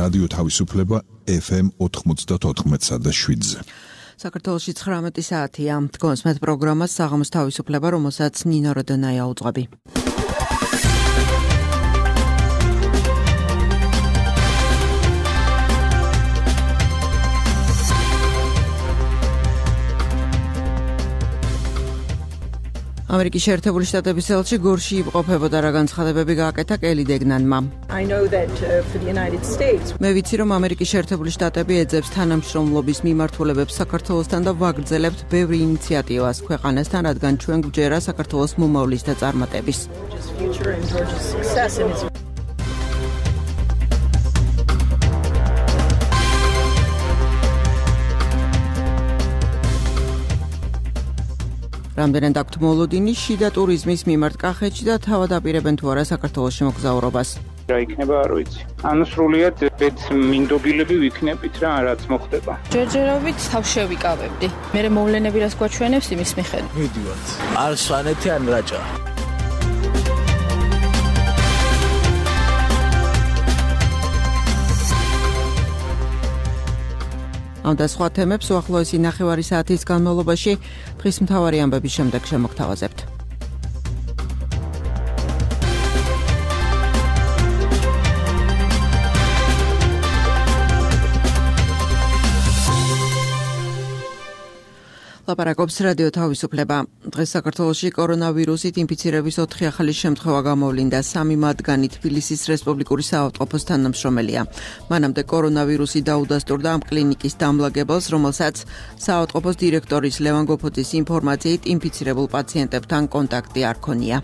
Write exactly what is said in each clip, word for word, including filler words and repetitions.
რადიო თავისუფლება ეფ ემ ოთხმოცდაოთხ და შვიდზე. საქართველოში ცხრამეტი საათია. დგომს მეტ პროგრამას საღამოს თავისუფლება, რომელსაც ნინო როდონაია უძღვები. ამერიკის შეერთებული შტატების ელჩი გორში იმყოფებოდა, რა განცხადებები გააკეთა კელი დეგნანმა. მე ვიცი, რომ ამერიკის შეერთებული შტატები ეძებს თანამშრომლობის მიმართულებებს საქართველოსთან და ვაგრძელებთ ბევრი ინიციატივას ქვეყანასთან, რადგან ჩვენ გვჯერა საქართველოს მომავლის და წარმატების. რამდენად აქვთ მოლოდინი შიდა ტურიზმის მიმართ კახეთში და თავად აპირებენ თუ არა საქართველოში მოგზაურობას. რა იქნება არ ვიცი. ანუ სრულიად ბედმინდობილები ვიქნებით რა, რაც მოხდება. ჯერჯერობით თავშე ვიკავებდი. მე მოვლენები რას გვაჩვენებს იმის მიხედვით. მიდივართ. არ სვანეთი ან რაჭა. ამ და სხვა თემებს უახლოესი ნახევარი საათის განმავლობაში დღის მთავარი ამბების შემდეგ შემოგთავაზებთ. ლაპარაკობს რადიო თავისუფლება. დღეს საქართველოში კორონავირუსით ინფიცირების ოთხი ახალი შემთხვევა გამოვლინდა. სამი მათგანი თბილისის რესპუბლიკური საავადმყოფოს თანამშრომელია. მანამდე კორონავირუსი დაუდასტურდა ამ კლინიკის დამლაგებელს, რომელსაც საავადმყოფოს დირექტორის ლევან გოფოძის ინფორმაციით ინფიცირებულ პაციენტებთან კონტაქტი არ ქონია.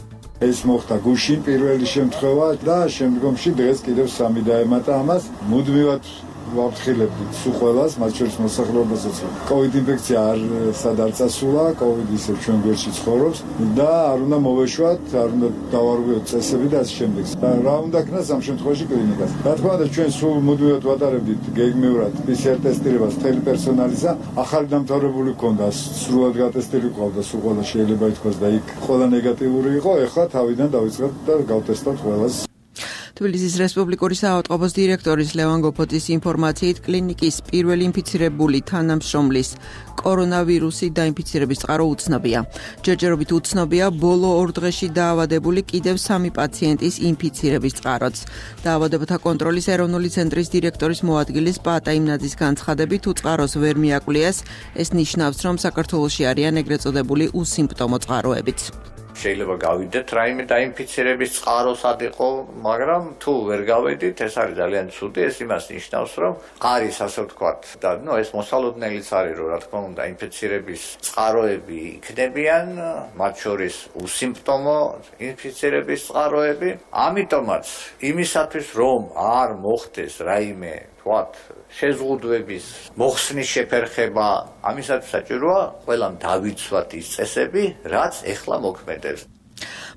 ეს მოხდა გუშინ პირველი შემთხვევა და შემდგომში დღეს კიდევ სამი დაემატა ამას. მუდმივად ვაფრთხილებდით სულ ყველას, მათ შორის მოსახლეობასაც. კოვიდ ინფექცია არ სად არ წასულა, კოვიდი ისევ ჩვენ გვერდში ცხოვრობს და არ უნდა მოვეშვათ, არ უნდა დავარღვიოთ წესები და ასე შემდეგ. და რა უნდა ქნას ამ შემთხვევაში კლინიკას. რა თქმა უნდა, ჩვენ სულ მუდმივად ვატარებდით გეგმიურად პი სი არ ტესტირებას მთელი პერსონალისა. ახალი დამთავრებული ჰქონდა, სრულად გატესტილი ყავდა, სულ ყველა შეიძლება ითქვას და იქ ყველა ნეგატიური იყო. ეხლა თავიდან დავიწყებთ და გავტესტავთ ყველას. თბილისის რესპუბლიკური საავადმყოფოს დირექტორის ლევან გოფოძის ინფორმაციით კლინიკის პირველი ინფიცირებული თანამშრომლის კორონავირუსი დაინფიცირების წყარო უცნობია. ჯერჯერობით უცნობია ბოლო ორ დღეში დაავადებული კიდევ სამი პაციენტის ინფიცირების წყაროც. დაავადებათა კონტროლის ეროვნული ცენტრის დირექტორის მოადგილის პაატა იმნაძის განცხადებით, თუ წყაროს ვერ მიაკლიეს, ეს ნიშნავს, რომ საქართველოში არიან ეგრეთ წოდებული უსიმპტომო წყაროებიც. შეიძლება გავიდეთ რაიმე დაინფიცირების წყაროსად იყო, მაგრამ თუ ვერ გავედით, ეს არის ძალიან ცუდი, ეს იმას ნიშნავს, რომ არის ასე ვთქვათ და ნუ ეს მოსალოდნელიც არის, რომ რა თქმა უნდა ინფიცირების წყაროები იქნებიან, მათ შორის უსიმპტომო ინფიცირების წყაროები. ამიტომაც იმისათვის, რომ არ მოხდეს რაიმე ვთქვათ შეზღუდვების მოხსნის შეფერხება, ამისათვის საჭიროა ყველამ დავიცვათ ის წესები, რაც ეხლა მოქმედებს.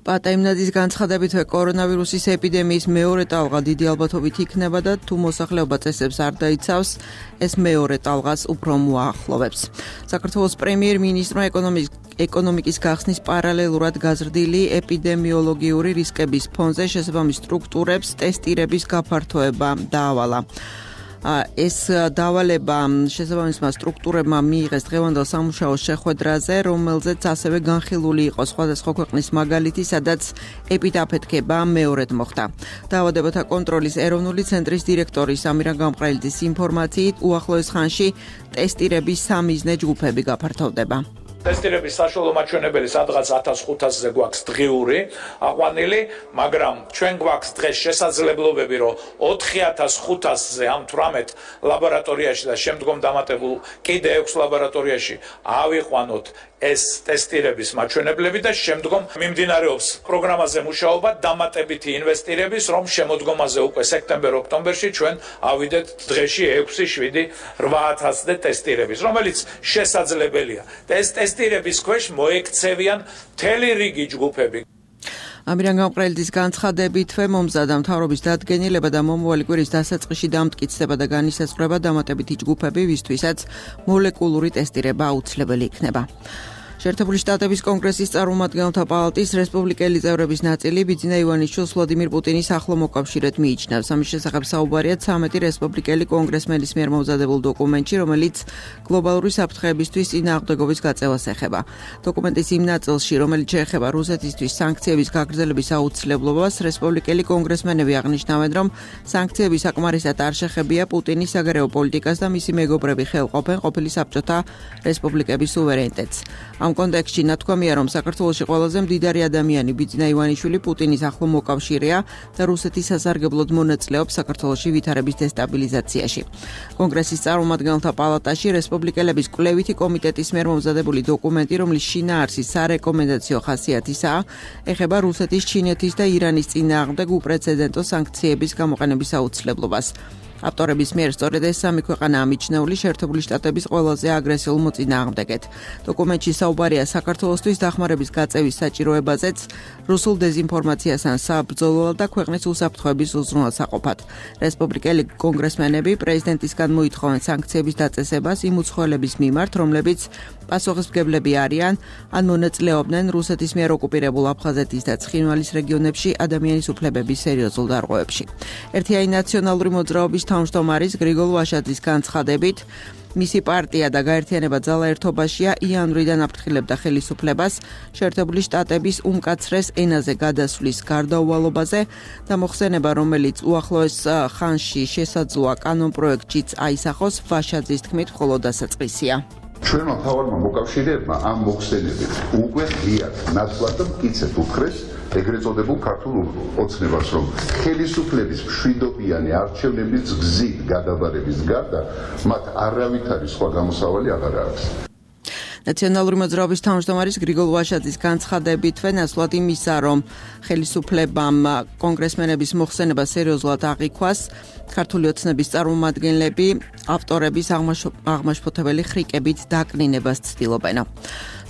პაატა იმნაძის განცხადებით, კორონავირუსის ეპიდემიის მეორე ტალღა დიდი ალბათობით იქნება და თუ მოსახლეობა წესებს არ დაიცავს, ეს მეორე ტალღას უფრო მოაახლოვებს. საქართველოს პრემიერ-მინისტრმა ეკონომიკის გახსნის პარალელურად გაზრდილი ეპიდემიოლოგიური რისკების ფონზე შესაბამის სტრუქტურებს ტესტირების გაფართოება დაავალა. ეს დავალება შესაბამისმა სტრუქტურებმა მიიღეს დღევანდელ სამუშაო შეხვედრაზე, რომელზეც ასევე განხილული იყო სხვადასხვა ქვეყნის მაგალითი, სადაც ეპიდაფეთქება მეორედ მოხდა. დაავადებათა კონტროლის ეროვნული ცენტრის დირექტორის ამირან გამყრელიძის ინფორმაციით, უახლოეს ხანში ტესტირების სამიზნე ჯგუფები გაფართოვდება. ტესტირების საშუალო მაჩვენებელი სადღაც ათას ხუთასზე გვაქვს დღიური აყვანილი, მაგრამ ჩვენ გვაქვს დღეს შესაძლებლობები, რომ ოთხი ათას ხუთასზე ამ თვრამეტ ლაბორატორიაში და შემდგომ დამატებულ კიდე ექვს ლაბორატორიაში ავიყვანოთ ეს ტესტირების მაჩვენებლები და შემდგომ მიმდინარეობს პროგრამაზე მუშაობა დამატებითი ინვესტირების, რომ შემოდგომაზე უკვე სექტემბერ-ოქტომბერში ჩვენ ავიდეთ დღეში ექვსი, შვიდი, რვა ათასზე ტესტირების, რომელიც შესაძლებელია. და ეს ტესტირების ქვეშ მოექცევიან მთელი რიგი ჯგუფები. ამირან გამყრელიძის განცხადებითვე მომზადა მთავრობის დადგენილება და მომავალი კვირის დასაწყისში დამტკიცდება და განისაზღვრება დამატებითი ჯგუფები, ვისთვისაც მოლეკულური ტესტირება აუცილებელი იქნება. შეერთებული შტატების კონგრესის წარმომადგენელთა პალატის რესპუბლიკელი წევრების ნაწილი ბიძინა ივანიშვილს ვლადიმირ პუტინის ახლო მოკავშირედ მიიჩნევს. ამის შესახებ საუბარია ცამეტი რესპუბლიკელი კონგრესმენის მიერ მომზადებულ დოკუმენტში, რომელიც გლობალური საფრთხეებისთვის წინააღმდეგობის გაწევას ეხება. დოკუმენტის იმ ნაწილში, რომელიც შეეხება რუსეთისთვის სანქციების გაგრძელების აუცილებლობას, რესპუბლიკელი კონგრესმენები აღნიშნავენ, რომ სანქციები საკმარისად არ შეხებია პუტინის საგარეო პოლიტიკას და მისი მეგობრები ხელყოფენ ყოფილი საბჭოთა რესპუბლიკების სუვერენიტეტს. ამ კონტექსტში ნათქვამია, რომ საქართველოში ყველაზე მდიდარი ადამიანი ბიძინა ივანიშვილი პუტინის ახლო მოკავშირეა და რუსეთის სასარგებლოდ მონაწილეობს საქართველოში ვითარების დესტაბილიზაციაში. კონგრესის წარმომადგენელთა პალატაში რესპუბლიკელების კვლევითი კომიტეტის მიერ მომზადებული დოკუმენტი, რომლის შინაარსი სარეკომენდაციო ხასიათისაა, ეხება რუსეთის, ჩინეთის და ირანის წინააღმდეგ უპრეცედენტო სანქციების გამოყენების აუცილებლობას. ავტორების მიერ სწორედ ეს სამი ქვეყანაა მიჩნეული შეერთებული შტატების ყველაზე აგრესიულ მოწინააღმდეგედ. დოკუმენტში საუბარია საქართველოსთვის დახმარების გაწევის საჭიროებაზეც, რუსულ დეზინფორმაციასთან საბრძოლველად და ქვეყნის უსაფრთხოების უზრუნველსაყოფად. რესპუბლიკელი კონგრესმენები პრეზიდენტისგან მოითხოვენ სანქციების დაწესებას იმ უცხოელების მიმართ, რომლებიც პასუხისმგებლები არიან ან მონაწილეობდნენ რუსეთის მიერ ოკუპირებულ აფხაზეთის და ცხინვალის რეგიონებში ადამიანის უფლებების სერიოზულ დარღვევებში. ერთიანი ნაციონალური მოძრაობის თავმჯდომარის გრიგოლ ვაშაძის განცხადებით, მისი პარტია და გაერთიანება ძალა ერთობაშია იანვრიდან აფრთხილებდა ხელისუფლებას შეერთებული შტატების უმკაცრეს ენაზე გადასვლის გარდაუვალობაზე და მოხსენება, რომელიც უახლოეს ხანში შესაძლოა კანონპროექტშიც აისახოს, ვაშაძის თქმით მხოლოდ დასაწყისია. ჩვენმა მთავარმა მოკავშირეებმა ამ მოხსენებით უკვე ღიად ნათლად და მტკიცედ უთხრეს ეგრეთ წოდებულ ქართულ ოცნებას, რომ ხელისუფლების მშვიდობიანი არჩევნების გზით გადაბარების გარდა მათ არავითარი სხვა გამოსავალი აღარ აქვს. ნაციონალური მოძრაობის თავმჯდომარის გრიგოლ ვაშაძის განცხადებითვე ნაცვლად იმისა, რომ ხელისუფლებამ კონგრესმენების მოხსენება სერიოზულად აღიქვას, ქართული ოცნების წარმომადგენლები ავტორების აღმაშფოთებელი ხრიკებით დაკნინებას ცდილობენ.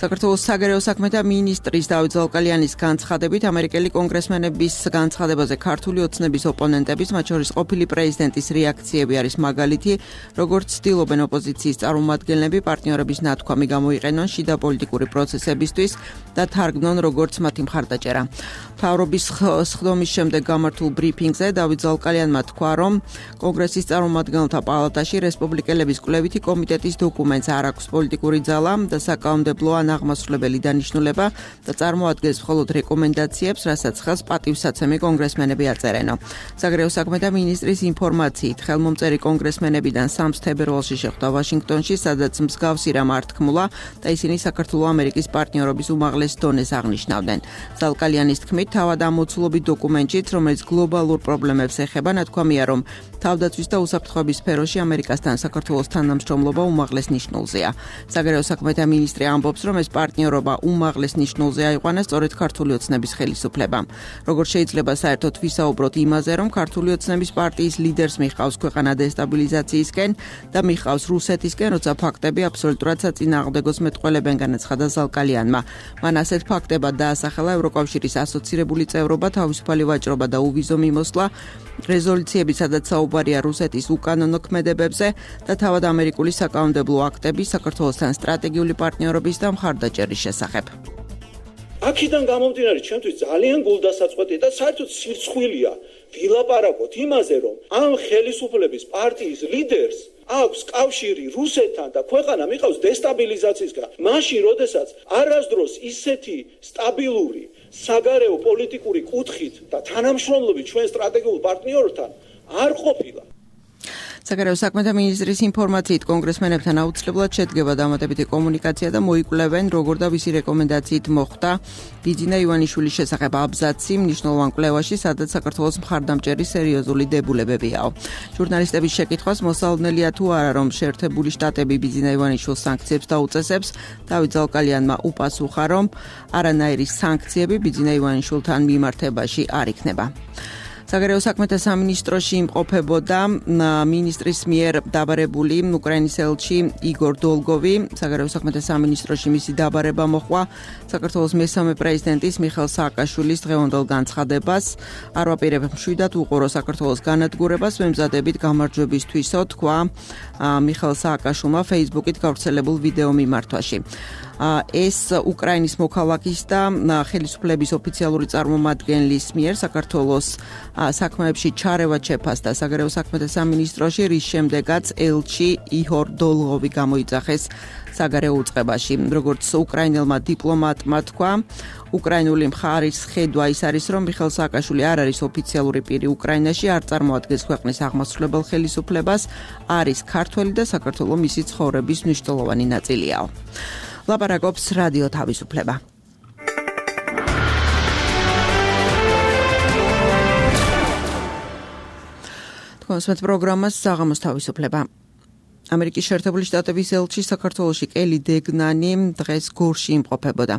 საქართველოს საგარეო საქმეთა მინისტრის დავით ზალკალიანის განცხადებით, ამერიკელი კონგრესმენების განცხადებაზე ქართული ოცნების ოპონენტების, მათ შორის ყოფილი პრეზიდენტის რეაქციები არის მაგალითი, როგორც ცდილობენ ოპოზიციის წარმომადგენლები პარტნიორების ნათქვამი გამოიყენონ შიდა პოლიტიკური პროცესებისთვის და თარგმნონ როგორც მათი მხარდაჭერა. მთავრობის სხდომის შემდეგ გამართულ ბრიფინგზე დავით ზალკალიანმა თქვა, რომ კონგრესის წარმომადგენელთა პალატაში რესპუბლიკელების კვლევითი კომიტეტის დოკუმენტს არ აქვს პოლიტიკური ძალა და საკანონმდებლო ან აღმასრულებელი დანიშნულება და წარმოადგენს მხოლოდ რეკომენდაციებს, რასაც ხელს პატივსაცემი კონგრესმენები აწერენო. საგარეო საქმეთა მინისტრის ინფორმაციით, ხელმომწერი კონგრესმენებიდან სამს თებერვალში შეხვდა ვაშინგტონში, სადაც მსგავსი რამ არ თქმულა და ისინი საქართველო-ამერიკის პარტნიორობის უმაღლეს დონეს აღნიშნავდნენ. ზალკალიანის თქმით, თავად ამოცულობით დოკუმენტშიც, რომელიც გლობალურ პრობლემებს ეხება, ნათქვამია, რომ თავდაცვის და უსაფრთხოების სფეროში ამერიკასთან საქართველოს თანამშრომლობა უმაღლეს ნიშნულზეა. საგარეო საქმეთა მინისტრი ამბობს, რომ ეს პარტნიორობა უმაღლეს ნიშნულზე აიყვანა სწორედ ქართული ოცნების ხელისუფლებამ. როგორც შეიძლება საერთოდ ვისაუბროთ იმაზე, რომ ქართული ოცნების პარტიის ლიდერს მიხავს ქვეყანა დესტაბილიზაციისკენ და მიხავს რუსეთისკენ, როცა ფაქტები აბსოლუტურად საწინააღმდეგოს მეტყველებენ, განაცხადა ზალკალიანმა. მან ასეთ ფაქტებად დაასახელა ევროკავშირის ასოცირებული წევრობა, თავისუფალი ვაჭრობა და უვიზო მიმოსვლა, რეზოლუციები, სადაც საუბარია რუსეთის უკანონო ქმედებებზე და თავად ამერიკული საკანონმდებლო აქტები საქართველოსთან სტრატეგიული პარტნიორობის და მხარდაჭერის შესახებ. აქედან გამომდინარე, ჩემთვის ძალიან გულდასაწყვეტია და საერთოდ სირცხვილია ვილაპარაკოთ იმაზე, რომ ამ ხელისუფლების პარტიის ლიდერს აქვს კავშირი რუსეთთან და ქვეყანა მიყავს დესტაბილიზაციისგან. მაშინ, როდესაც არასდროს ისეთი სტაბილური საგარეო პოლიტიკური კუთხით და თანამშრომლობით ჩვენ სტრატეგიულ პარტნიორთან არ ყოფილა. საგარეო საქმეთა მინისტრის ინფორმაციით, კონგრესმენებთან აუცილებლად შედგება დამატებითი კომუნიკაცია და მოიკვლევენ, როგორ და ვისი რეკომენდაციით მოხდა ბიძინა ივანიშვილის შესახებ აბზაცი მნიშვნელოვან კვლევაში, სადაც საქართველოს მხარდამჭერი სერიოზული დებულებებიაო. ჟურნალისტების შეკითხვას მოსალოდნელია თუ არა, რომ შეერთებული შტატები ბიძინა ივანიშვილს სანქციებს დაუწესებს, დავით ზალკალიანმა უპასუხა, რომ არანაირი სანქციები ბიძინა ივანიშვილთან მიმართებაში არ იქნება. საგარეო საქმეთა სამინისტროში იმყოფებოდა მინისტრის მიერ დაბარებული უკრაინის ელჩი იგორ დოლგოვი. საგარეო საქმეთა სამინისტროში მისი დაბარება მოჰყვა საქართველოს მესამე პრეზიდენტის მიხეილ სააკაშვილის დღევანდელ განცხადებას. არ ვაპირებ მშვიდად უყურო საქართველოს განადგურებას, ვემზადებით გამარჯვებისთვისო, თქვა მიხეილ სააკაშვილმა Facebook-ით გავრცელებულ ვიდეო მიმართვაში. ეს უკრაინის მოქალაქის და ხელისუფლების ოფიციალური წარმომადგენლის მიერ საქართველოს საქმეებში ჩარევა შეფასდა საგარეო საქმეთა სამინისტროში, რის შემდეგაც ელჩი იჰორ დოლღოვი გამოიძახეს საგარეო უწყებაში. როგორც უკრაინელმა დიპლომატმა თქვა, უკრაინული მხარის ხედვა ის არის, რომ მიხეილ სააკაშვილი არ არის ოფიციალური პირი უკრაინაში, არ წარმოადგენს ქვეყნის აღმასრულებელ ხელისუფლებას, არის ქართველი და საქართველოს მისი ცხოვრების მნიშვნელოვანი ნაწილია. ლაპარაკობს რადიო თავისუფლება. თქვენს პროგრამას საღამოს თავისუფლება. ამერიკის შეერთებული შტატების ელჩი საქართველოში კელი დეგნანი დღეს გორში იმყოფებოდა.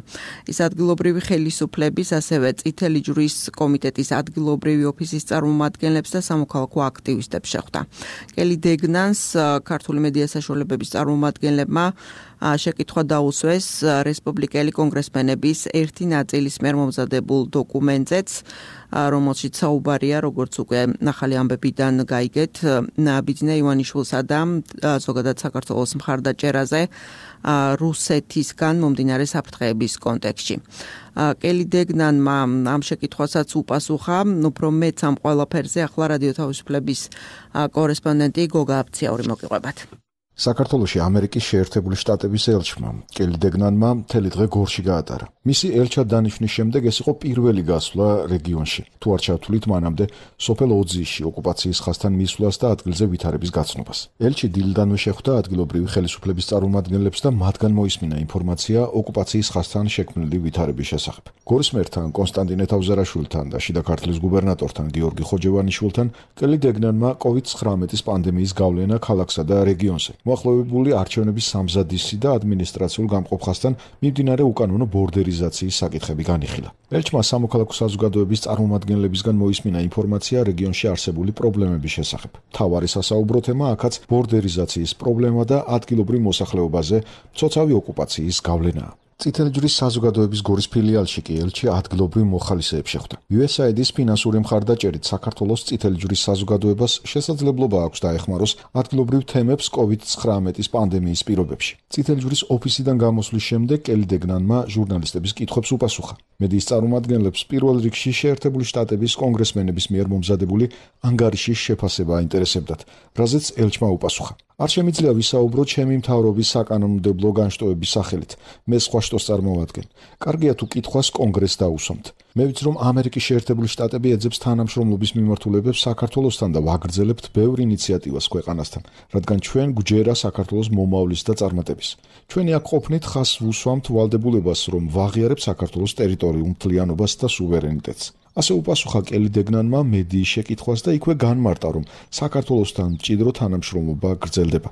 ის ადგილობრივი ხელისუფლების, ასევე წითელი ჯვრის კომიტეტის ადგილობრივი ოფისის წარმომადგენლებს და სამოქალაქო აქტივისტებს შეხვდა. კელი დეგნანს ქართული მედია საშუალებების წარმომადგენლებმა შეკითხვა დაუსვეს რესპუბლიკელი კონგრესმენების ერთი ნაწილის მიერ მომზადებულ დოკუმენტზეც, რომელშიც საუბარია, როგორც უკვე ახალი ამბებიდან გაიგეთ, ბიძინა ივანიშვილსა და ზოგადად საქართველოს მხარდაჭერაზე რუსეთისგან მომდინარე საფრთხეების კონტექსტში. კელი დეგნანმა ამ შეკითხვასაც უპასუხა, უფრო მეც ამ ყველაფერზე ახლა რადიო თავისუფლების კორესპონდენტი გოგა აფციაური მოგიყვებათ. საქართველოში ამერიკის შეერთებული შტატების ელჩმა კელი დეგნანმა მთელი დღე გორში გაატარა. მისი ელჩად დანიშვნის შემდეგ ეს იყო პირველი გასვლა რეგიონში. თუ არ ჩავთვლით მანამდე სოფელ ოძიში ოკუპაციის ხაზთან მისვლას და ადგილზე ვითარების გაცნობას. ელჩი დილიდანვე შეხვდა ადგილობრივი ხელისუფლების წარმომადგენლებს და მათგან მოისმინა ინფორმაცია ოკუპაციის ხაზთან შექმნილი ვითარების შესახებ. გორის მერთან კონსტანტინე თავზარაშვილთან და შიდა ქართლის გუბერნატორთან გიორგი ხოჯევანიშვილთან კელი დეგნანმა კოვიდ ცხრამეტის პანდემიის გავლენა ქალაქსა და რეგიონზე, მოახლოებული არჩევნების სამზადისი და ადმინისტრაციულ გამყოფხასთან მიმდინარე უკანონო ბორდერიზაციის საკითხები განიხილა. ელჩმა სამოქალაქო საზოგადოების წარმომადგენლებისგან მოისმინა ინფორმაცია რეგიონში არსებული პრობლემების შესახებ. მთავარი სასაუბრო თემა აქაც ბორდერიზაციის პრობლემა და ადგილობრივ მოსახლეობაზე მცოცავი ოკუპაციის გავლენაა. წითელი ჯვრის საზოგადოების გორის ფილიალში კი ელჩი ადგილობრივ მოხალისეებს შეხვდა. იუ ეს აი დის ფინანსური მხარდაჭერით საქართველოს წითელი ჯვრის საზოგადოებას შესაძლებლობა აქვს დაეხმაროს ადგილობრივ თემებს კოვიდ ცხრამეტის პანდემიის პირობებში. წითელი ჯვრის ოფისიდან გამოსვლის შემდეგ კელი დეგნანმა ჟურნალისტების კითხვებს უპასუხა. მედიის წარმომადგენლებს პირველ რიგში შეერთებული შტატების კონგრესმენების მიერ მომზადებული ანგარიშის შეფასება აინტერესებდათ, რაზეც ელჩმა უპასუხა. არ შემიძლია ვისაუბროთ ჩემი მთავრობის საკანონმდებლო განშტოების სახელით. მე სხვა შტოს წარმოვადგენ. კარგია თუ კითხვას კონგრესს დაუსვამთ. მე ვიცი, რომ ამერიკის შეერთებული შტატები ეძებს თანამშრომლობის მიმართულებებს საქართველოსთან და ვაგრძელებთ ბევრ ინიციატივას ქვეყანასთან, რადგან ჩვენ გვჯერა საქართველოს მომავლის და წარმატების. ჩვენი აქ ყოფნით ხაზს ვუსვამთ ვალდებულებას, რომ ვაღიარებ საქართველოს ტერიტორიულ მთლიანობას და სუვერენიტეტს. ასე უპასუხა კელი დეგნანმა მედიის შეკითხვას და იქვე განმარტა, რომ საქართველოსთან მჭიდრო თანამშრომლობა გრძელდება.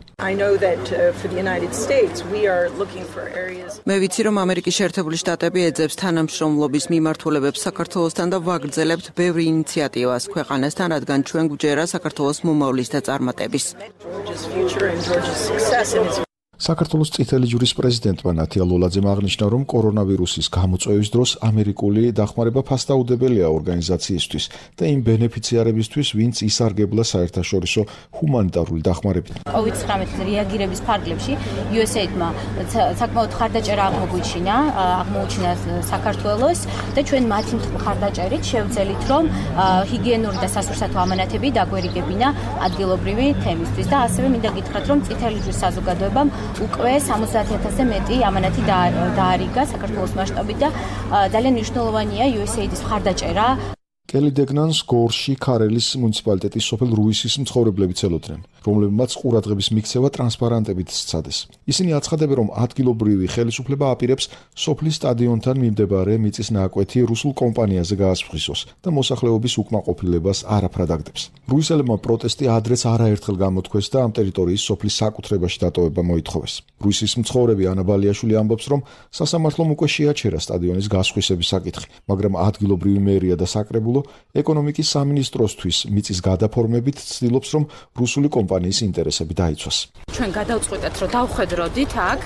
მე ვიცი, რომ ამერიკის შეერთებული შტატები ეძებს თანამშრომლობის მიმართულებებს საქართველოსთან და ვაგრძელებთ ბევრი ინიციატივას ქვეყანასთან, რადგან ჩვენ გვჯერა საქართველოს მომავლის და წარმატების. საქართველოს წითელი ჯვრის პრეზიდენტმა ნათია ლოლაძემ აღნიშნა, რომ კორონავირუსის გამოწვევის დროს ამერიკული დახმარება ფასდაუდებელია ორგანიზაციისთვის და იმ ბენეფიციარებისთვის, ვინც ისარგებლა საერთაშორისო ჰუმანიტარული დახმარებით. კოვიდ ცხრამეტის რეაგირების ფარგლებში იუ ეს ეი-მა საკმაოდ ხარდაჭერა აღმოგვიჩინა, აღმოუჩინა საქართველოს და ჩვენ მათი ხარდაჭერით შევძელით, რომ ჰიგიენური და სასურსათო ამანათები დაგვერიგებინა ადგილობრივი თემისთვის და ასევე მინდა გითხრათ, რომ წითელი ჯვრის საზოგადოებამ უკვე სამოცდაათი ათასზე მეტი ამანათი დაარიგა საქართველოს მასშტაბით და ძალიან მნიშვნელოვანია იუ ეს ეი-ის მხარდაჭერა. კელი დეგნანს გორში ქარელის მუნიციპალიტეტის სოფელ რუისის მცხოვრებლები ცელოდნენ, რომლებმაც ყურადღების მიქცევა ტრანსპარანტებით სცადეს. ისინი აცხადებენ, რომ ადგილობრივი ხელისუფლება აპირებს სოფლის სტადიონთან მიმდებარე მიწის ნაკვეთი რუსულ კომპანიაზე გაასფრისოს და მოსახლეობის უკმაყოფილებას არაფრად აგდებს. რუისელებმა პროტესტი ადრეც არაერთხელ გამოთქვეს და ამ ტერიტორიის სოფლის საკუთრებაში დატოვება მოითხოვეს. რუისის მცხოვრები ანა ბალიაშვილი ამბობს, რომ სასამართლომ უკვე შეაჩერა სტადიონის გასხვისების საკითხი, მაგრამ ადგილობრივი მერია და საკრებულო სახელმწიფო ეკონომიკის სამინისტროსთვის მიწის გადაფორმებით ცდილობს, რომ რუსული კომპანიის ინტერესები დაიცვას. ჩვენ გადავწყვიტეთ, რომ დავხედროდით აქ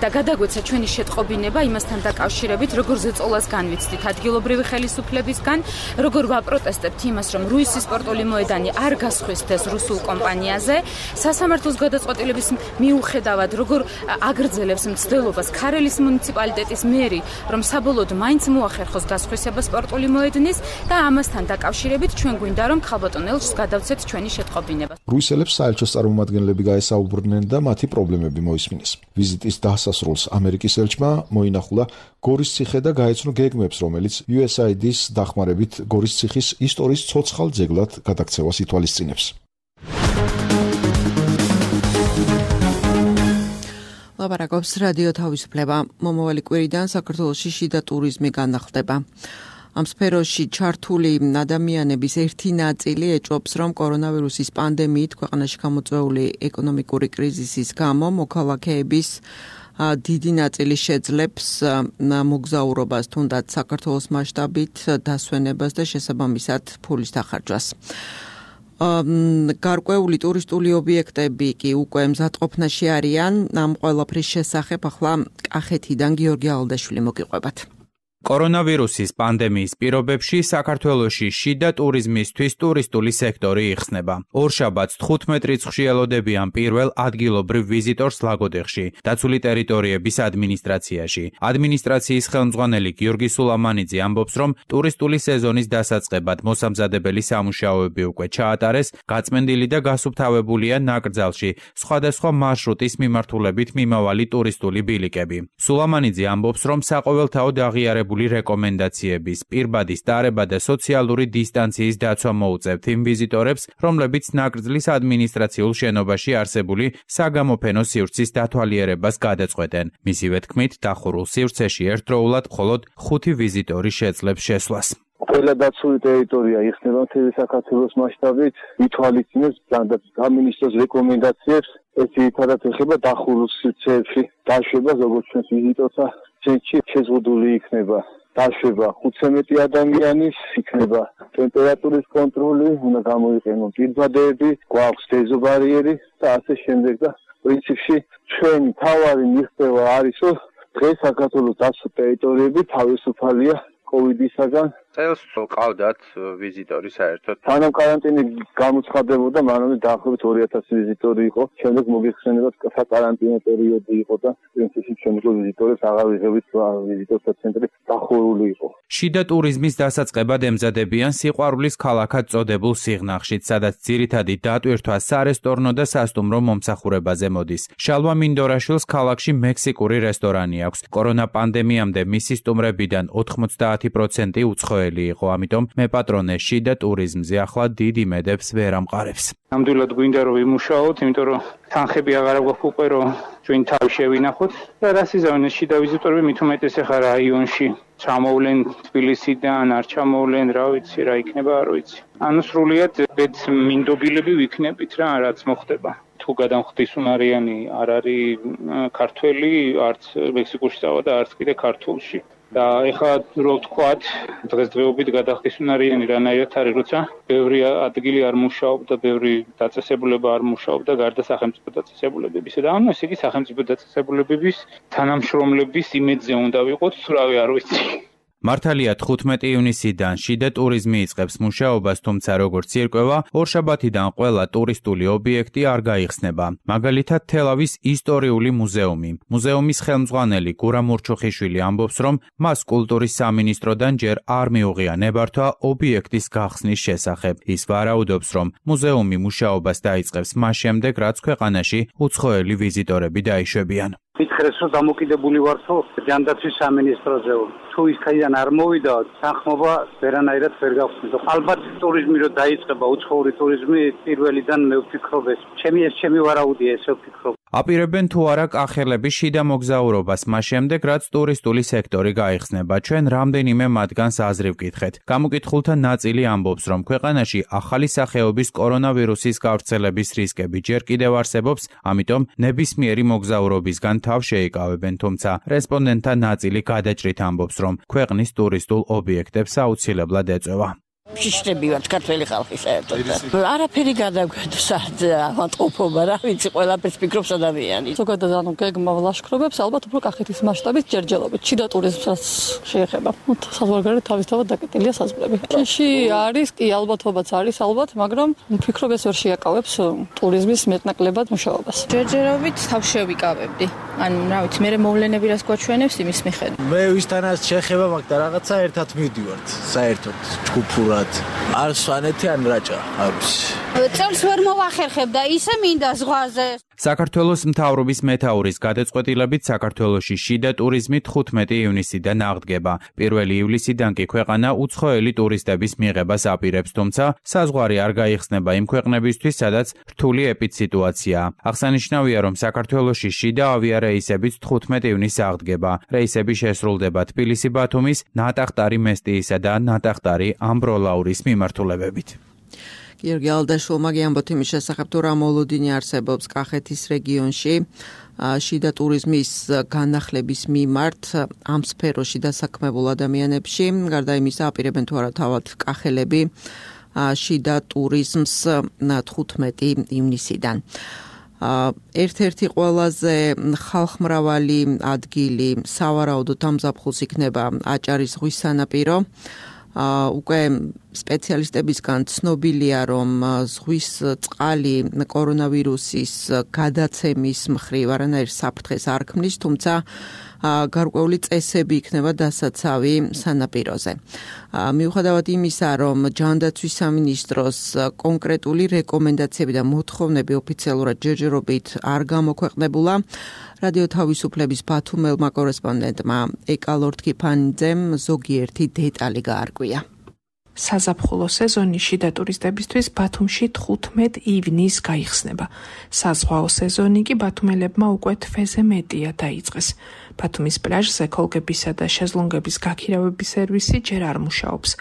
და გადაგვეცა ჩვენი შეტყობინება იმასთან დაკავშირებით, როგორ ზეწოლას განვიცდით ადგილობრივი ხელისუფლებისგან, როგორ ვაპროტესტებთ იმას, რომ რუისის სპორტული მოედანი არ გასხვისდეს რუსულ კომპანიაზე, სასამართლოს გადაწყვეტილების მიუხედავად, როგორ აგრძელებს მცდელობას ქარელის მუნიციპალიტეტის მერი, რომ საბოლოოდ მაინც მოახერხოს გასხვისება სპორტული მოედნის და ამასთან დაკავშირებით ჩვენ გვინდა რომ ქალბატონ ელჩს გადავცეთ ჩვენი შეტყობინება. რუსელებს საელჩოს წარმომადგენლები გაესაუბრნენ და მათი პრობლემები მოისმინეს. ვიზიტის დასასრულს ამერიკის ელჩმა მოინახულა გორის ციხე და გაეცნო გეგმებს, რომელიც იუ ეს აი დის დახმარებით გორის ციხის ისტორიის ცოცხალ ძეგლად გადაქცევას ითვალისწინებს. ლაპარაკობს რადიო თავისუფლება. მომავალი კვირიდან საქართველოში შიდა ტურიზმი განახლდება. ამ სფეროში ჩართული ადამიანების ერთი ნაწილი ეჭვობს, რომ კორონავირუსის პანდემიით ქვეყანაში გამოწვეული ეკონომიკური კრიზისის გამო მოქალაქეების დიდი ნაწილი შეძლებს მოგზაურობას, თუნდაც საქართველოს მასშტაბით დასვენებას და შესაბამისად ფულის დახარჯვას. გარკვეული ტურისტული ობიექტები კი უკვე მზადყოფნაში არიან. ამ ყველაფრის შესახებ ახლა კახეთიდან გიორგი ალდაშვილი მოგიყვებათ. კორონავირუსის პანდემიის პირობებში საქართველოში შიდა ტურიზმისთვის ტურისტული სექტორი იხსნება. ორშაბათს თხუთმეტ რიცხვში ელოდებიან პირველ ადგილობრივ ვიზიტორს ლაგოდეხში, დაცული ტერიტორიების ადმინისტრაციაში. ადმინისტრაციის ხელმძღვანელი გიორგი სულამანიძე ამბობს, რომ ტურისტული სეზონის დასაწყებად მოსამზადებელი სამუშაოები უკვე ჩაატარეს, გაწმენდილი და გასუფთავებულია ნაკრძალში სხვადასხვა მარშრუტის მიმართულებით მიმავალი ტურისტული ბილიკები. სულამანიძე ამბობს, რომ საყოველთაოდ აღიარებული რეკომენდაციების, პირბადის დარება და სოციალური დისტანციის დაცვა მოუწევთ იმ ვიზიტორებს, რომლებიც ნაკრძლის ადმინისტრაციულ შენობაში არსებული საგამოფენო სივრცის დათვალიერებას გადაწყვეტენ. მისივე თქმით, დახურულ სივრცეში ერთდროულად მხოლოდ ხუთი ვიზიტორი შეძლებს შესვლას. ყველა დაცული ტერიტორია იხსნება მთელი საქართველოს მასშტაბით, ითვალისწინებს სამინისტროს რეკომენდაციებს, ეს ძირითადად ეხება დახურულ სივრცეებში დაშვებას, როგორც ჩვენს ვიზიტორთა ცენტრში შეზღუდული იქნება. დაშვება ხუთცამეტი ადამიანის, იქნება ტემპერატურის კონტროლი, უნდა გამოიყენონ პირბადეები, გვაქვს დეზობარიერი და ასე შემდეგ და პრინციპში ჩვენი თავარი მიღწევა არის, რომ დღეს საქართველოს დაცული ტერიტორიები თავისუფალია კოვიდისაგან. წელს ყავდათ ვიზიტორი საერთოდ. სანამ კარანტინი გამოცხადებოდა, მანამდე დაახლოებით ორი ათასი ვიზიტორი იყო. შემდეგ მოგიხსენებათ საკარანტინო პერიოდი იყო და პრინციპში ჩვენ უკვე ვიზიტორებს აღარ ვიღებით, ვიზიტორთა ცენტრი დახურული იყო. შიდა ტურიზმის დასაწყებად ემზადებიან სიყვარულის ქალაქად წოდებულ სიღნაღშიც, სადაც ძირითადი დატვირთვა სარესტორნო და სასტუმრო მომსახურებაზე მოდის. შალვა მინდორაშვილს ქალაქში მექსიკური რესტორანი აქვს. კორონა პანდემიამდე მისი სტუმრებიდან ოთხმოცდაათი პროცენტი უცხოელი იყო, ამიტომ მეპატრონე შიდა ტურიზმზე ახლა დიდ იმედებს ვერ ამყარებს. ნამდვილად გვინდა რომ ვიმუშაოთ, იმიტომ რომ თანხები აღარ გვაქვს უკვე რომ ჩვენ თავი შევინახოთ და რას იზამენ შიდა ვიზიტორები მით უმეტეს ახლა რაიონში ჩამოვლენ თბილისიდან, არ ჩამოვლენ, რა ვიცი, რა იქნება, არ ვიცი. ანუ სრულიად ბედს მინდობილები ვიქნებით რა, რაც მოხდება. თუ გადამხდისუნარიანი არ არის ქართველი, არც მექსიკაში წავა და არც კიდე ქართულში. და ეხლა რო ვთქვათ, დღესდღეობით გადახდისუნარიანი რანაირად არის, როცა ბევრი ადგილი არ მუშაობდა, ბევრი დაწესებულება არ მუშაობდა, გარდა სახელმწიფო დაწესებულებებისა და ანუ ესე იგი სახელმწიფო დაწესებულებების თანამშრომლების იმედზე უნდა ვიყოთ, სურავი არ ვიცი. მართალია თხუთმეტი ივნისიდან შიდა ტურიზმი იწყებს მუშაობას, თუმცა როგორც ირკვევა, ორშაბათიდან ყველა ტურისტული ობიექტი არ გაიხსნება. მაგალითად, თელავის ისტორიული მუზეუმი. მუზეუმის ხელმძღვანელი გურამ ურჩუხიშვილი ამბობს, რომ მას კულტურის სამინისტროდან ჯერ არ მიუღია ნებართვა ობიექტის გახსნის შესახებ. ის ვარაუდობს, რომ მუზეუმი მუშაობას დაიწყებს მას შემდეგ, რაც ქვეყანაში უცხოელი ვიზიტორები დაიშვებიან. მითხრეს, რომ დამოკიდებული ვართო ჯანდაცვის სამინისტროზე. თუ ის ქაიდან არ მოვიდა, თანხმობა ვერანაირად ვერ გავხსნით. ალბათ ტურიზმი რო დაიწყება, უცხოური ტურიზმი პირველიდან მე ვფიქრობ ეს. ჩემი ეს ჩემი ვარაუდია, ესე ვფიქრობ. აპირებენ თუ არა კახელების შიდა მოგზაურობას, მას შემდეგ, რაც ტურისტული სექტორი გაიხსნება. ჩვენ რამდენიმე მათგანს აზრი ვკითხეთ. გამოკითხულთა ნაწილი ამბობს, რომ ქვეყანაში ახალი სახეობის კორონავირუსის გავრცელების რისკები ჯერ კიდევ არსებობს, ამიტომ ნებისმიერი მოგზაურობისგან თავ შეიკავებენ, თუმცა რესპონდენტთა ნაწილი გადაჭრით ამბობს, რომ ქვეყნის ტურისტულ ობიექტებს აუცილებლად ეწევა. შიშრები ვართ ქართველი ხალხი საერთოდ. არაფერი გადაგვედეს ავადმყოფობა, რა ვიცი, ყველაფერს ფიქრობს ადამიანი. ზოგადად ანუ გეგმა ლაშქრობებს ალბათ უფრო კახეთის მასშტაბით ჯერჯერობით. შიდა ტურიზმსაც შეეხება. საზღვარგარეთ თავისთავად დაკეტილია საზღვრები. ჩინში არის, კი ალბათობაც არის ალბათ, მაგრამ ვფიქრობ ეს ვერ შეაკავებს ტურიზმის მეტნაკლებად მუშაობას. ჯერჯერობით თავს შევიკავებდი. ან რა ვიცი, მე მოვლენები რას გვაჩვენებს იმის მიხედვით. მე ვისთანაც შეხება მაგ და რაღაცა ერთად მივდივართ საერთოდ ჯგუფურად. არ სვანეთი ან რაჭა, არ ვიცი. წელს ვერ მოვახერხებ და ისე მინდა ზღვაზე. საქართველოს მთავრობის მეთაურის გადაწყვეტილებით საქართველოში შიდა ტურიზმი თხუთმეტი ივნისიდან აღდგება. პირველი ივლისიდან კი ქვეყანა უცხოელი ტურისტების მიღებას აპირებს, თუმცა საზღვარი არ გაიხსნება იმ ქვეყნებისთვის, სადაც რთული ეპიდსიტუაციაა. აღსანიშნავია, რომ საქართველოში შიდა ავიარეისებიც თხუთმეტი ივნისს აღდგება. რეისები შესრულდება თბილისი-ბათუმის, ნატახტარი-მესტიისა და ნატახტარი-ამბროლაურის მიმართულებებით. გიორგი ალდაშვილმა გიამბოთ იმის შესახებ, თუ რა მოლოდინი არსებობს კახეთის რეგიონში შიდა ტურიზმის განახლების მიმართ ამ სფეროში დასაქმებულ ადამიანებში. გარდა იმისა, აპირებენ თუ არა თავად კახელები შიდა ტურიზმს თხუთმეტი ივნისიდან. ერთ-ერთი ყველაზე ხალხმრავალი ადგილი სავარაუდოდ ამზაფხულს იქნება აჭარის ზღვის სანაპირო. უკვე სპეციალისტებისგან ცნობილია, რომ ზღვის წყალი კორონავირუსის გადაცემის მხრივ არანაირ საფრთხეს არ ქმნის, თუმცა გარკვეული წესები იქნება დასაცავი სანაპიროზე. მიუხედავად იმისა, რომ ჯანდაცვის სამინისტროს კონკრეტული რეკომენდაციები და მოთხოვნები ოფიციალურად ჯერჯერობით არ გამოქვეყნებულა, რადიო თავისუფლების ბათუმელმა კორესპონდენტმა ეკალორთქიფანიძემ ზოგიერთი დეტალი გაარკვია. საზაფხულო სეზონი შიდა ტურისტებისთვის ბათუმში თხუთმეტ ივნისს გაიხსნება. საზღვაო სეზონი კი ბათუმელებმა უკვე თვეზე მეტია დაიწყეს. ბათუმის პლაჟზე ქოლგებისა და შეზლონგების გაქირავების სერვისი ჯერ არ მუშაობს.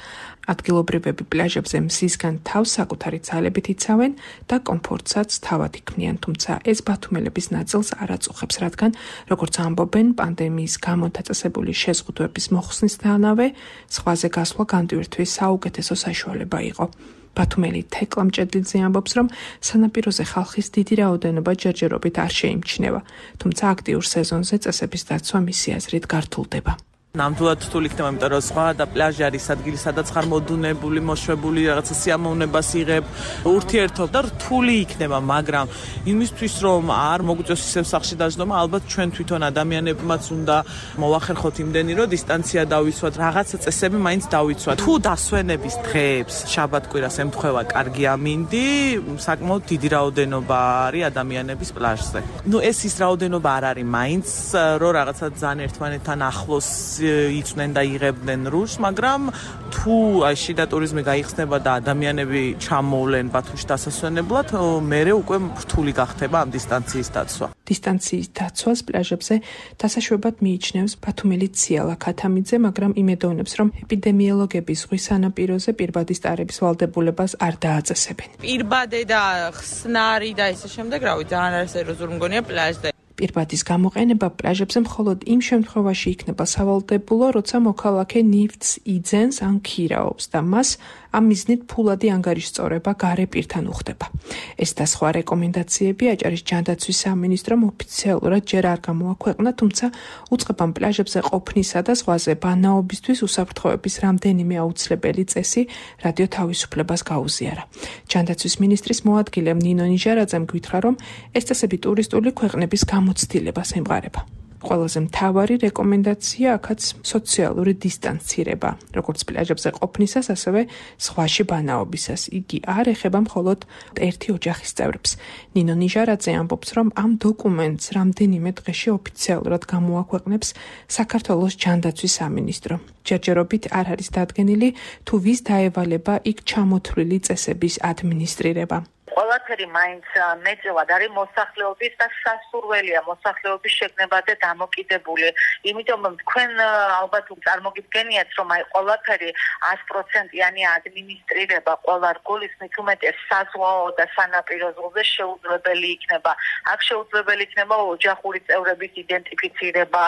ადგილობრივები პლაჟებზე მზისგან თავს საკუთარი ძალებით იცავენ და კომფორტსაც თავად იქმნიან, თუმცა ეს ბათუმელების ნაწილს არ აწუხებს, რადგან, როგორც ამბობენ, პანდემიის გამო დაწესებული შეზღუდვების მოხსნისთანავე ზღვაზე გასვლა განდივერთვის საუკეთესო საშუალება იყო. ბათუმელი თეკლა მჭედლიძე ამბობს, რომ სანაპიროზე ხალხის დიდი რაოდენობა ჯერჯერობით არ შეიმჩნევა, თუმცა აქტიურ სეზონზე წესების დაცვა მისი აზრით გართულდება. ნამდვილად რთული იქნება, იმიტომ რომ ზღვა და პლაჟი არის ადგილი, სადაც ხარ მოდუნებული, მოშვებული, რაღაცა სიამოვნებას იღებ, ურთიერთობა და რთული იქნება, მაგრამ იმისთვის, რომ არ მოგვიწევს ისევ სახლში დაждდომა, ალბათ ჩვენ თვითონ ადამიანებმაც უნდა მოვახერხოთ იმდენი, რომ დისტანცია დავიცვათ, რაღაცა წესები მაინც დავიცვათ. თუ დასვენების დღეებს, შაბათ-კვირას ემთხვევა კარგი ამინდი, საკმაოდ დიდი რაოდენობა არის ადამიანების პლაჟზე. ნუ ეს ის რაოდენობა არ არის მაინც, რომ რაღაცა ძალიან ერთმანეთთან ახლოს იწვნენ და იღებდნენ რუშს, მაგრამ თუ შიდა ტურიზმი გაიხსნება და ადამიანები ჩამოვლენ ბათუმში დასასვენებლად, მერე უკვე რთული გახდება ამ დისტანციის დაცვა. დისტანციის დაცვას პლაჟებზე დასაშვებად მიიჩნევს ბათუმელი ციალა ქათამიძე, მაგრამ იმედოვნებს, რომ ეპიდემიოლოგები ზღვის სანაპიროზე პირბადის ტარების ვალდებულებას არ დააწესებენ. პირბადე და ხსნარი და ისე შემდეგ, რავი, ძალიან არასერიოზული მგონია პლაჟზე. პირბადის გამოყენება პლაჟებზე მხოლოდ იმ შემთხვევაში იქნება სავალდებულო, როცა მოქალაქე ნივთს იძენს ან ქირაობს და მას ამ მიზნით ფულადი ანგარიშწორება გარე პირთან უხდება. ეს და სხვა რეკომენდაციები აჭარის ჯანდაცვის სამინისტრომ ოფიციალურად ჯერ არ გამოაქვეყნა, თუმცა უწყებამ პლაჟებზე ყოფნისა და ზღვაზე ბანაობისთვის უსაფრთხოების რამდენიმე აუცილებელი წესი რადიო თავისუფლებას გაუზიარა. ჯანდაცვის მინისტრის მოადგილე ნინო ნიჟარაძემ გითხრა, რომ ეს წესები ტურისტული ქვეყნების გამოცდილებას ემყარება. ყველაზე მთავარი რეკომენდაცია აქაც სოციალური დისტანცირება, როგორც პლაჟებზე ყოფნისას, ასევე ზღვაში ბანაობისას. იგი არ ეხება მხოლოდ ერთი ოჯახის წევრებს. ნინო ნიჟარაძე ამბობს, რომ ამ დოკუმენტს რამდენიმე დღეში ოფიციალურად გამოაქვეყნებს საქართველოს ჯანდაცვის სამინისტრო. ჯერჯერობით არ არის დადგენილი, თუ ვის დაევალება იქ ჩამოთვლილი წესების ადმინისტრირება. ყველაფერი მაინც მეტწილად არის მოსახლეობის და სასურველია მოსახლეობის შეგნება და დამოკიდებული. იმიტომ თქვენ ალბათ წარმოგიდგენიათ, რომ აი ყველაფერი sto პროცენტიანი ადმინისტრირება ყველა რგოლის მით უმეტეს საზღვაო და სანაპირო ზოლზე შეუძლებელი იქნება. აქ შეუძლებელი იქნება ოჯახური წევრების იდენტიფიცირება.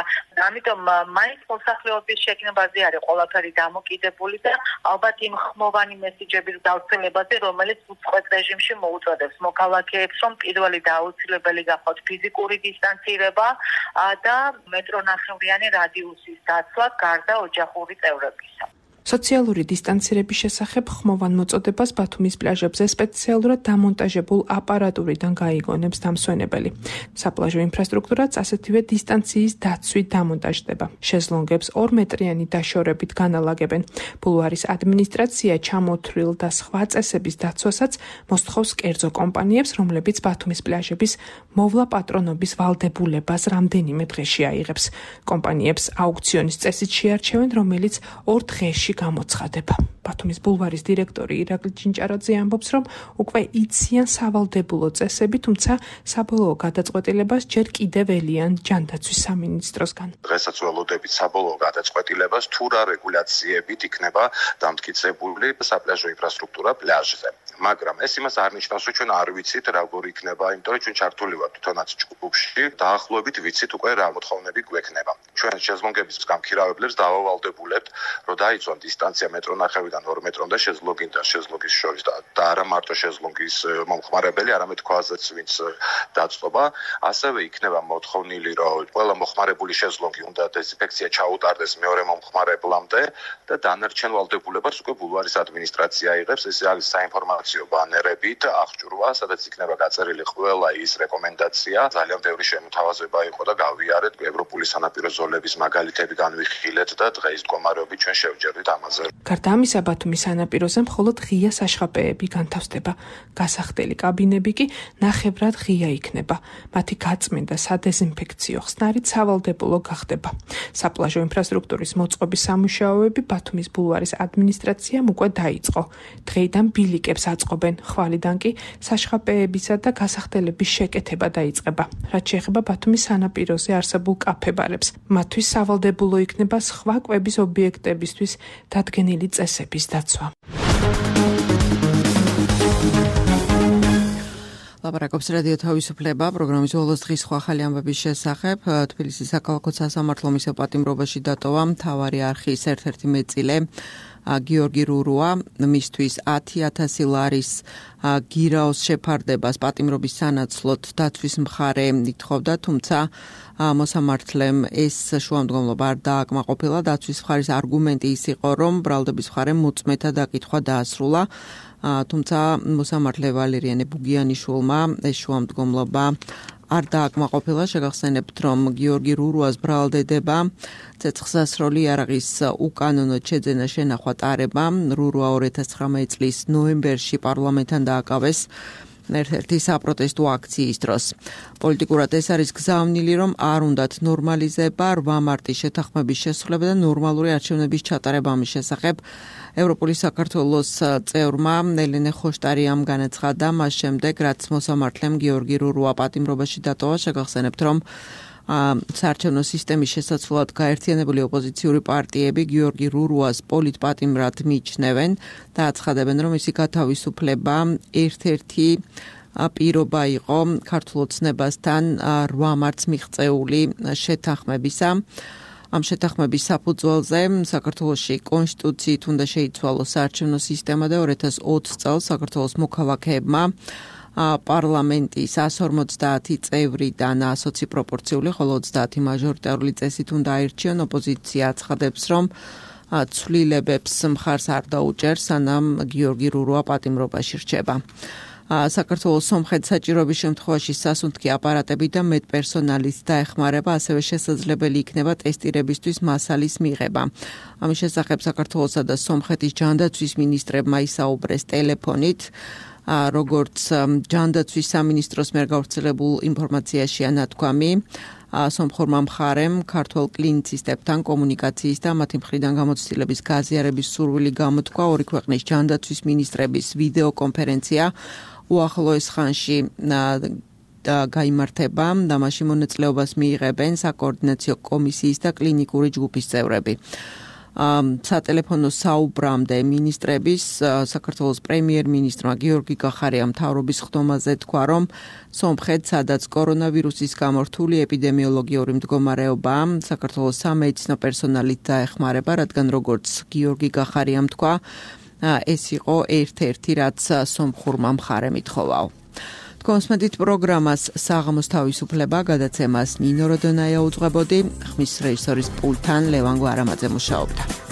ამიტომ მაინც მოსახლეობის შეგნებაზე არის ყველაფერი დამოკიდებული და ალბათ იმ ხმოვანი მესიჯების გავრცელებაზე, რომელიც უწყვეტ რეჟიმში მოუწოდებს მოქალაქეებს, რომ პირველი და აუცილებელი გახოთ ფიზიკური დისტანცირება და მეტრონახევრიანი რადიუსის დაცვა გარდა ოჯახური წევრებისა. სოციალური დისტანცირების შესახებ ხმოვან მოწოდებას ბათუმის პლაჟებზე სპეციალურად დამონტაჟებულ აპარატურიდან გაიგონებს დამსვენებელი. საპლაჟო ინფრასტრუქტურაც ასეთივე დისტანციის დაცვით დამონტაჟდება. შეზლონგებს ორმეტრიანი დაშორებით განალაგებენ. ბულვარის ადმინისტრაცია ჩამოთვლილ და სხვა წესების დაცვასაც მოსთხოვს კერძო კომპანიებს, რომლებიც ბათუმის პლაჟების მოვლა პატრონობის ვალდებულებას რამდენიმე დღეში აიღებს. კომპანიებს აუქციონის წესით შეარჩევენ, რომელიც ორ დღეში გამოცხადება. ბათუმის ბულვარის დირექტორი ირაკლი ჭინჭარაძე ამბობს, რომ უკვე იციან სავალდებულო წესები, თუმცა საბოლოო გადაწყვეტილებას ჯერ კიდევ ელიან ჯანდაცვის სამინისტროსგან. დღესაც ველოდებით საბოლოო გადაწყვეტილებას თუ რა რეგულაციებით იქნება დამტკიცებული საპლაჟო ინფრასტრუქტურა პლაჟზე. მაგრამ ეს იმას არ ნიშნავს, რომ ჩვენ არ ვიცით როგორ იქნება, იმიტომ რომ ჩვენ ჩართული ვართ თვითონაც ჯგუფში, დაახლოებით ვიცით უკვე რა მოთხოვნები გვექნება. ჩვენ შეზლონგების გამქირავებლებს დავავალდებულებთ, რომ დაიცვან დისტანცია მეტრონახევრიდან ორ მეტრამდე შეზლონგი და შეზლონგის შორის და არა მარტო შეზლონგის მომხმარებელი, არამედ ქვაზეც ვინც დაწყობა. ასევე იქნება მოთხოვნილი, რომ ყველა მოხმარებული შეზლონგი უნდა დეზინფექცია ჩაუტარდეს მეორე მომხმარებლამდე და დანარჩენ ვალდებულებას უკვე ბულვარის ადმინისტრაცია იღებს. ეს არის საინფორმაციო ბანერებით აღჭურვა, სადაც იქნება გაწერილი ყველა ის რეკომენდაცია. ძალიან ბევრი შემოთავაზება იყო და გავიარეთ ევროპული სანაპირო ზოლების მაგალითები განვიხილეთ და დღეს მდგომარეობით ჩვენ შევჯერდით ამაზე. გარდა ამისა, ბათუმის სანაპიროზე მხოლოდ ღია საშხაპეები განთავსდება. გასახდელი კაბინები კი ნახევრად ღია იქნება. მათი გაწმენდა სადეზინფექციო ხსნარით სავალდებულო გახდება. საპლაჟო ინფრასტრუქტურის მოწყობის სამუშაოები ბათუმის ბულვარის ადმინისტრაციამ უკვე დაიწყო. დღეიდან ბილიკებს აწყობენ, ხვალიდან კი საშხაპეებისა და გასახდელების შეკეთება დაიწყება. რაც შეეხება ბათუმის სანაპიროზე არსებულ კაფე-ბარებს, მათთვის სავალდებულო იქნება სხვა კვების ობიექტებისთვის დადგენილი წესების დაცვა. ლაპარაკობს რადიო თავისუფლება პროგრამის ბოლოს დღის სხვა ახალი ამბების შესახებ. თბილისის საქალაქო სასამართლო მისელ პატიმრობაში დატოვა მთავარი არხის ერთ-ერთი მეწილე გიორგი რურუა, მისთვის ათი ათასი ლარის გირაოს შეფარდებას პატიმრობის სანაცვლოდ დაცვის მხარე ითხოვდა, თუმცა მოსამართლემ ეს შუამდგომლობა არ დააკმაყოფილა. დაცვის მხარის არგუმენტი ის იყო, რომ ბრალდების მხარემ მოწმეთა დაკითხვა დაასრულა, თუმცა მოსამართლე ვალერიანე ბუგიანიშვილმა ეს შუამდგომლობა არ დააკმაყოფილა. შეგახსენებთ, რომ გიორგი რურუას ბრალდედება ცეცხლსასროლი იარაღის უკანონოდ შეძენა შენახვა ტარება. რურუა ორი ათას ცხრამეტი წლის ნოემბერში პარლამენტთან დააკავეს ერთ-ერთი საპროტესტო აქციის დროს. პოლიტიკურად ეს არის გზავნილი, რომ არ უნდათ ნორმალიზება რვა მარტის შეთანხმების შესრულება და ნორმალური არჩევნების ჩატარება ამის შესახებ ევროპული საქართველოს წევრმა ელენე ხოშტარიამ განაცხადა მას შემდეგ, რაც მოსამართლემ გიორგი რურუა პატიმრობაში დატოვა. შეგახსენებთ, რომ საარჩევნო სისტემის შესაცვლად გაერთიანებული ოპოზიციური პარტიები გიორგი რურუას პოლიტპატიმრად მიიჩნევენ და აცხადებენ, რომ მისი გათავისუფლება ერთ-ერთი პირობა იყო ქართულ ოცნებასთან რვა მარტს მიღწეული შეთანხმებისა. ამ შეთანხმების საფუძველზე საქართველოში კონსტიტუციით უნდა შეიცვალოს საარჩევნო სისტემა და ორი ათას ოცი წელს საქართველოს მოქალაქეებმა პარლამენტის სто ორმოცდაათი წევრიდან ასოცი პროპორციული, ხოლო ოცდაათი მაჟორიტარული წესით უნდა აირჩიონ. ოპოზიცია აცხადებს, რომ ცვლილებებს მხარს არ დაუჭერს, სანამ გიორგი რურუა პატიმრობაში რჩება. საქართველოს სომხეთის საჭიროების შემთხვევაში სასუნთქი აპარატები და მედპერსონალის დაეხმარება, ასევე შესაძლებელი იქნება ტესტირებისთვის მასალის მიღება. ამის შესახებ საქართველოსა და სომხეთის ჯანდაცვის მინისტრებმა ისაუბრეს ტელეფონით. როგორც ჯანდაცვის სამინისტროს მიერ გავრცელებულ ინფორმაციაშია ნათქვამი, სომხურმა მხარემ ქართველ კლინიცისტებთან კომუნიკაციის და მათი მხრიდან გამოცდილების გაზიარების სურვილი გამოთქვა. ორი ქვეყნის ჯანდაცვის მინისტრების ვიდეო კონფერენცია უახლოეს ხანში და გაიმართება და მასში მონაწილეობას მიიღებენ საკოორდინაციო კომისიის და კლინიკური ჯგუფის წევრები. სატელეფონო საუბრამდე მინისტრების საქართველოს პრემიერ-მინისტრმა გიორგი გახარიამ მთავრობის ხდომაზე თქვა, რომ სომხეთს, სადაც კორონავირუსის გამო რთული ეპიდემიოლოგიური მდგომარეობა საქართველოს სამედიცინო პერსონალით დაეხმარება, რადგან როგორც გიორგი გახარიამ თქვა, ეს იყო ერთ-ერთი, რაც სომხურმა მხარემ ითხოვაო. კონსმედით პროგრამას საღამოს თავისუფლება გადაცემას ნინო როდონაია უძღვებოდი, ხმის რეჟისორის პულტთან ლევან გვარამაძე მუშაობდა.